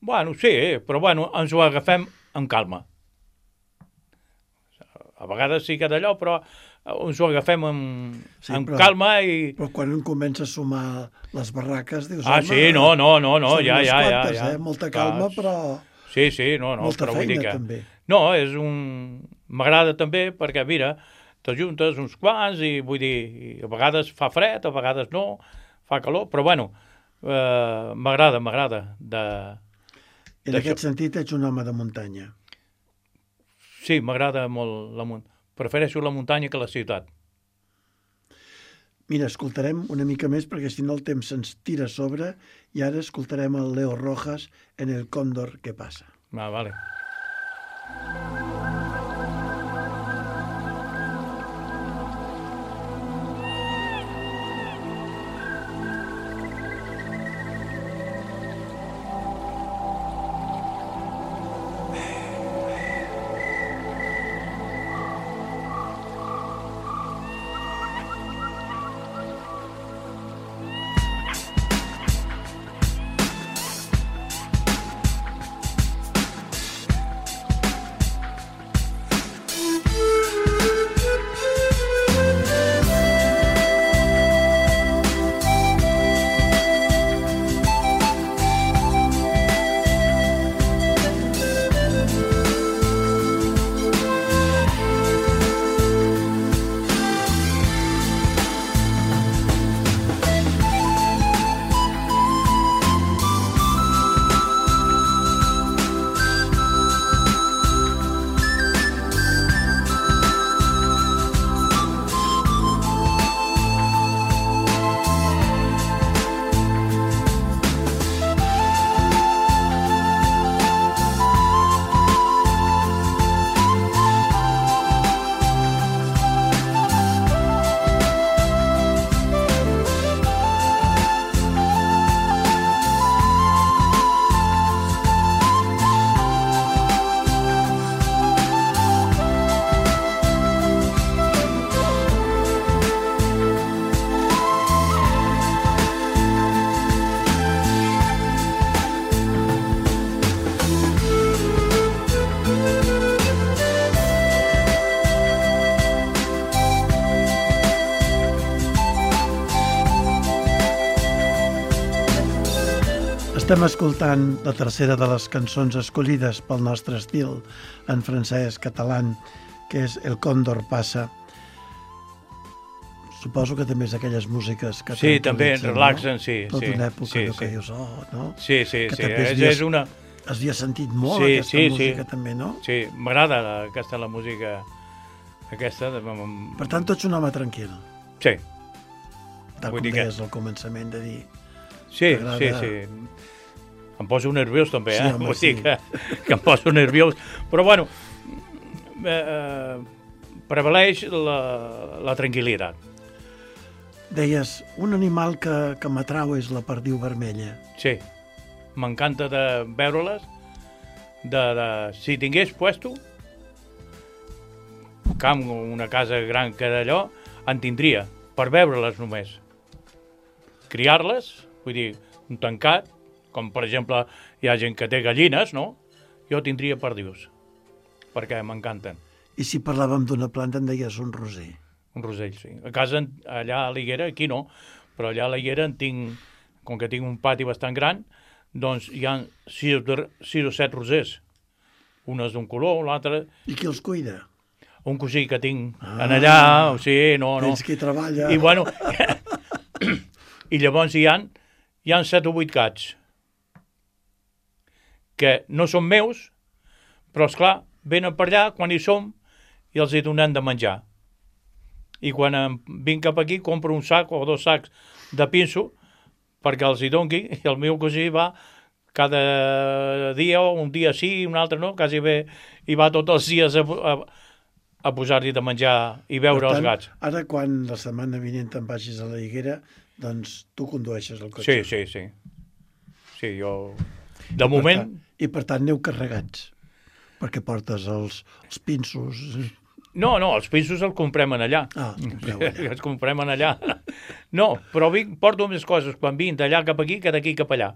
Bueno, sí, però bueno, ens ho agafem amb calma. A vegades sí que d'allò, però ens ho agafem amb calma i... Però quan comença a sumar les barraques, dius, home... Ah, sí, no, ja. Molta calma, però... Sí, no, molta però feina, vull dir que... també. No, m'agrada també perquè, mira, t'ajuntes uns quants i vull dir, a vegades fa fred, a vegades no, fa calor, però bueno, m'agrada En aquest sentit ets un home de muntanya. Sí, m'agrada molt la muntanya. Prefereixo la muntanya que la ciutat. Mira, escoltarem una mica més perquè si no el temps se'ns tira a sobre i ara escoltarem el Leo Rojas en El Cóndor que passa. Ah, vale. Estem escoltant la tercera de les cançons escollides pel nostre estil en francès català, que és El Còndor passa. Suposo que també és aquelles músiques que Sí, també relaxen, no? sí. Tota sí, una època sí, que sí. dius, no? Sí, sí, Que sí. també És una... Havia sentit molt Sí, aquesta sí, música sí. també, no? Sí, m'agrada la música aquesta. Per tant, tu ets un home tranquil, Sí, tal Vull com dir que- deies al començament de dir. sí, T'agrada? sí. Em poso nerviós també, Sí, home, Vull dir sí. que em poso nerviós. Però bueno, prevaleix la tranquil·litat. Deies, un animal que m'atrau és la perdiu vermella. Sí, m'encanta de veure-les. Si tingués puesto camp, una casa gran que d'allò, en tindria, per veure-les només. Criar-les, vull dir, un tancat, com per exemple hi ha gent que té gallines, no? Jo tindria perdius, perquè m'encanten. I si parlàvem d'una planta em deies un roser. Un rosell, sí. A casa, allà a l'Higuera, aquí no, però allà a l'Higuera com que tinc un pati bastant gran, doncs hi ha 6 o 7 rosers. Un és d'un color, l'altre... I qui els cuida? Un cosí que tinc en allà, sí, no. Tens qui treballa. I bueno, i llavors hi han 7 o 8 gats que no són meus, però esclar, venen per allà quan hi som i els hi donem de menjar. I quan vinc cap aquí compro un sac o 2 sacs de pinso perquè els hi dongui, i el meu cosí va cada dia, o un dia sí, un altre no, quasi bé, i va tots els dies a posar-li de menjar i veure els gats. Ara, quan la setmana vinent te'n vagis a la Higuera, doncs tu condueixes el cotxe. Sí. Sí, jo... De moment... I per tant aneu carregats, perquè portes els pinsos... No, els pinsos els comprem en allà. Compreu allà. Els comprem en allà. No, però porto més coses quan vinc d'allà cap aquí que d'aquí cap allà.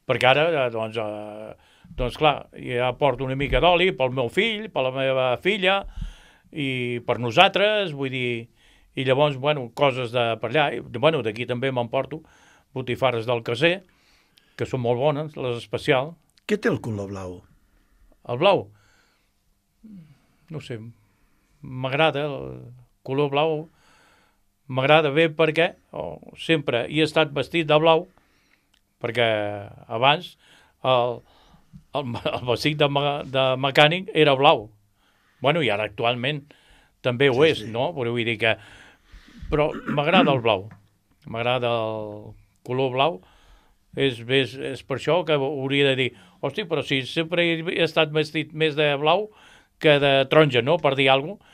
Perquè ara, doncs clar, ja porto una mica d'oli pel meu fill, per la meva filla, i per nosaltres, vull dir... I llavors, bueno, coses de per allà. Bueno, d'aquí també m'emporto botifarres del caser, que són molt bones, les especials. Què té el color blau? El blau? No sé, m'agrada el color blau, m'agrada bé perquè sempre he estat vestit de blau, perquè abans el vestit de mecànic era blau. Bueno, i ara actualment també ho és, no? Vull dir que... Però m'agrada el blau, m'agrada el color blau. És per això que hauria de dir, hosti, però si sempre he estat vestit més de blau que de taronja, no?, per dir alguna cosa.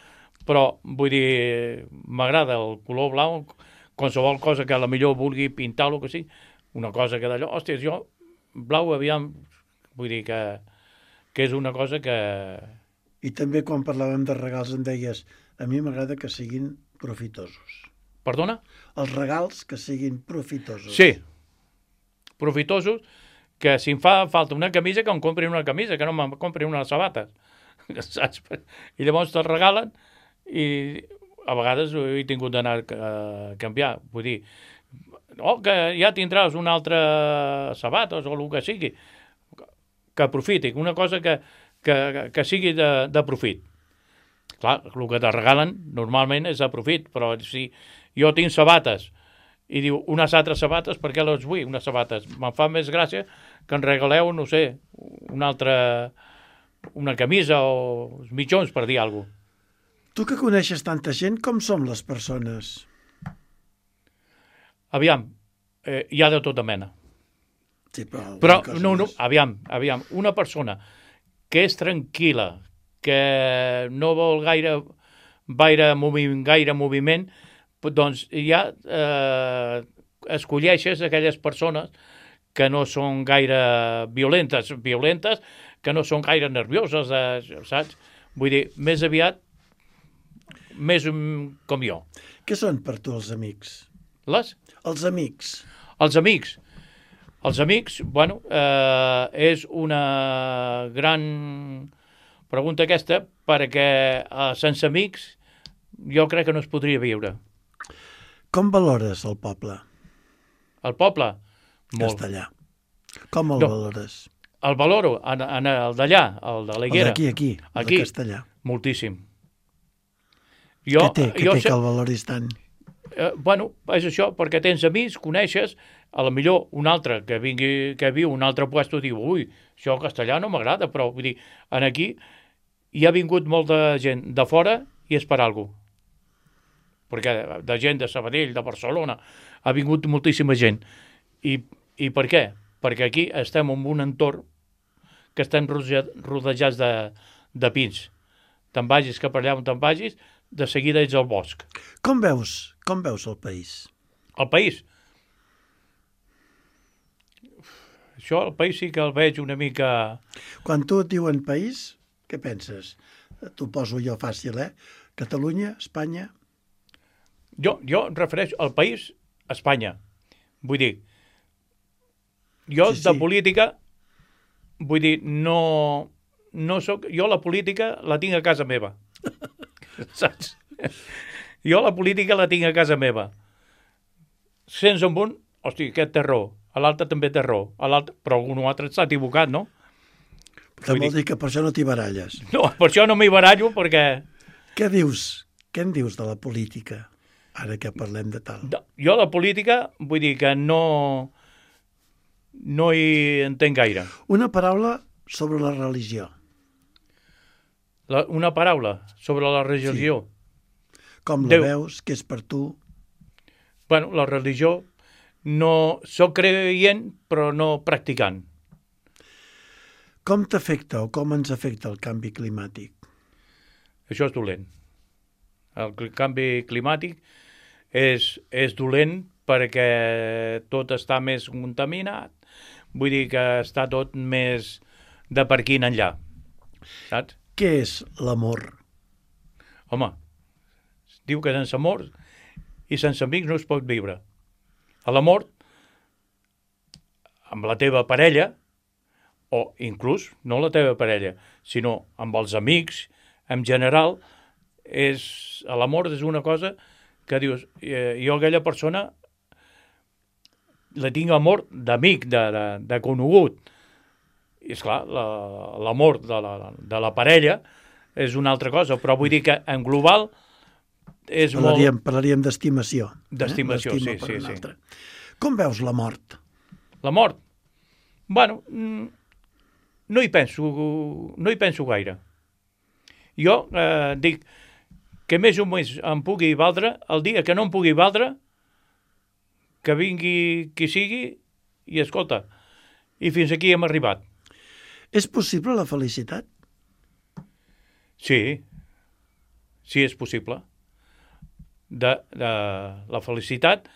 Però, vull dir, m'agrada el color blau, qualsevol cosa que a la millor vulgui pintar-lo, que sí, una cosa que d'allò, hòstia, jo, blau, aviam, vull dir que és una cosa que... I també quan parlàvem de regals em deies, a mi m'agrada que siguin profitosos. Perdona? Els regals que siguin profitosos. Sí, profitosos, que si em fa falta una camisa, que em comprin una camisa, que no em comprin unes sabates. Saps? I llavors te'l regalen i a vegades he tingut d'anar a canviar. Vull dir, que ja tindràs una altra sabates o el que sigui. Que aprofiti, una cosa que sigui de profit. Clar, el que te regalen normalment és de profit, però si jo tinc sabates i diu, unes altres sabates, per què les vull, unes sabates? Me'n fa més gràcia que en regaleu, no sé, una camisa o uns mitjons, per dir alguna cosa. Tu que coneixes tanta gent, com som les persones? Aviam, hi ha de tota mena. Sí, però aviam, una persona que és tranquil·la, que no vol gaire moviment, doncs ja escolleixes aquelles persones que no són gaire violentes, que no són gaire nervioses, saps? Vull dir, més aviat, més com jo. Què són per tu els amics? Les? Els amics. Els amics, bueno, és una gran pregunta aquesta, perquè sense amics jo crec que no es podria viure. Com valores el poble? El poble? Molt. Castellà. Com el valores? El valoro en el d'allà, el de l'Higuera. Aquí, el de Castellà. Moltíssim. Què té que el valoris tant? Bueno, és això, perquè tens amics, coneixes, a lo millor un altre que viu a un altre puesto diu, ui, això Castellà no m'agrada, però vull dir, aquí hi ha vingut molta gent de fora i és per alguna cosa. Perquè de gent de Sabadell, de Barcelona, ha vingut moltíssima gent. I per què? Perquè aquí estem en un entorn que estem rodejats de pins. Te'n vagis cap allà on te'n vagis, de seguida ets al bosc. Com veus el país? El país? Això, el país sí que el veig una mica... Quan tu et diuen país, què penses? T'ho poso jo fàcil, Catalunya, Espanya? Jo em refereixo al país, Espanya. Vull dir, jo de política, vull dir, no soc... Jo la política la tinc a casa meva. Saps? Jo la política la tinc a casa meva. Sents amb un, hosti, aquest té raó, l'altre també té raó, però algun altre s'ha equivocat, no? Però vol dir que per això no t'hi baralles. No, per això no m'hi barallo, perquè... Què dius? Què en dius de la política, ara que parlem de tal? Jo la política, vull dir que no hi entenc gaire. Una paraula sobre la religió. Una paraula sobre la religió. Sí. Com la veus? Què és per tu? Bueno, la religió, no soc creient, però no practicant. Com t'afecta o com ens afecta el canvi climàtic? Això és dolent. El canvi climàtic és dolent perquè tot està més contaminat. Vull dir que està tot més de per aquí en enllà. Saps? Què és l'amor? Home, diu que sense amor i sense amics no es pot viure. A l'amor, amb la teva parella, o inclús no la teva parella, sinó amb els amics, en general, l'amor és una cosa que dius, jo aquella persona la tinc amor d'amic, de conegut. I esclar, l'amor de la parella és una altra cosa, però vull dir que en global és Parlaríem d'estimació. D'estimació, sí. Com veus la mort? La mort? Bueno, no hi penso gaire. Jo dic que més o menys em pugui valdre, el dia que no em pugui valdre, que vingui qui sigui i escolta, i fins aquí hem arribat. És possible la felicitat? Sí, és possible. De la felicitat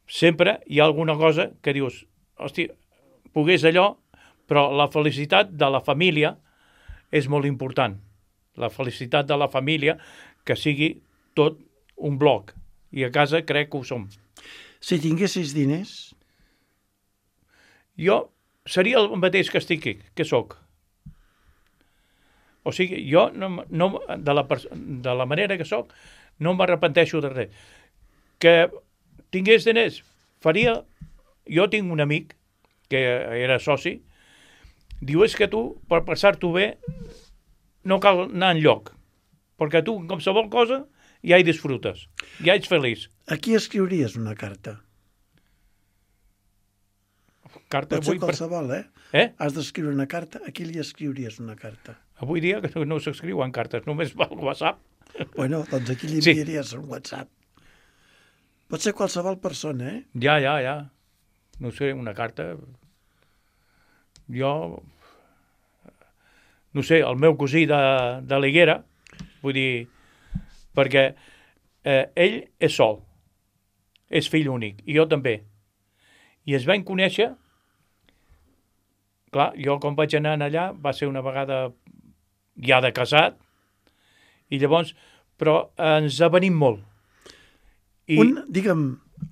sempre hi ha alguna cosa que dius, hosti, pogués allò, però la felicitat de la família és molt important. La felicitat de la família, que sigui tot un bloc. I a casa crec que ho som. Si tinguessis diners? Jo seria el mateix que estic aquí, que sóc. O sigui, jo de la manera que sóc no m'arrepenteixo de res. Que tingués diners, faria... Jo tinc un amic que era soci, diu, és que tu, per passar-t'ho bé, no cal anar enlloc, perquè tu, com qualsevol cosa, ja hi disfrutes, ja ets feliç. A qui escriuries una carta? Carta, pot ser qualsevol, Has d'escriure una carta, a qui li escriuries una carta? Avui dia que no s'escriuen cartes, només va al WhatsApp. Bueno, doncs aquí li enviaries un WhatsApp. Pot ser qualsevol persona, Ja. No sé, una carta... Jo... No sé, el meu cosí de l'Higuera, vull dir, perquè ell és sol, és fill únic, i jo també. I es van conèixer, clar, jo quan vaig anar allà va ser una vegada ja de casat, i llavors, però ens avenim molt. Digue'm,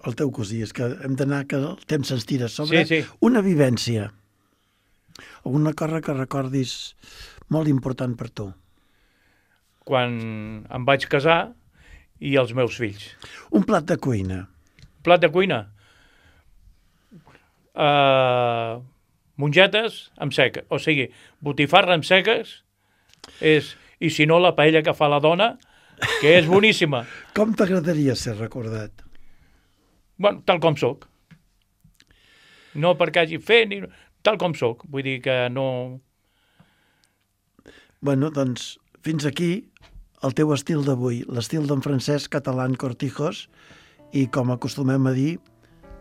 el teu cosí, és que hem d'anar, que el temps se'ns tira sobre, sí. Una vivència, alguna cosa que recordis molt important per tu. Quan em vaig casar i els meus fills. Un plat de cuina. Plat de cuina? mongetes amb seca. O sigui, botifarra amb seques i si no, la paella que fa la dona, que és boníssima. Com t'agradaria ser recordat? Bueno, tal com sóc. No perquè hagi fet, ni... tal com sóc. Vull dir que no... Bueno, doncs, fins aquí el teu estil d'avui, l'estil d'en Francesc Catalán Cortijos, i com acostumem a dir,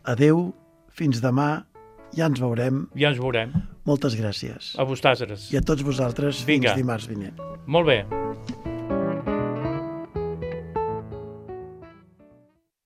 adeu, fins demà, ja ens veurem. Ja ens veurem. Moltes gràcies. A vosaltres. I a tots vosaltres, fins dimarts vinent. Molt bé.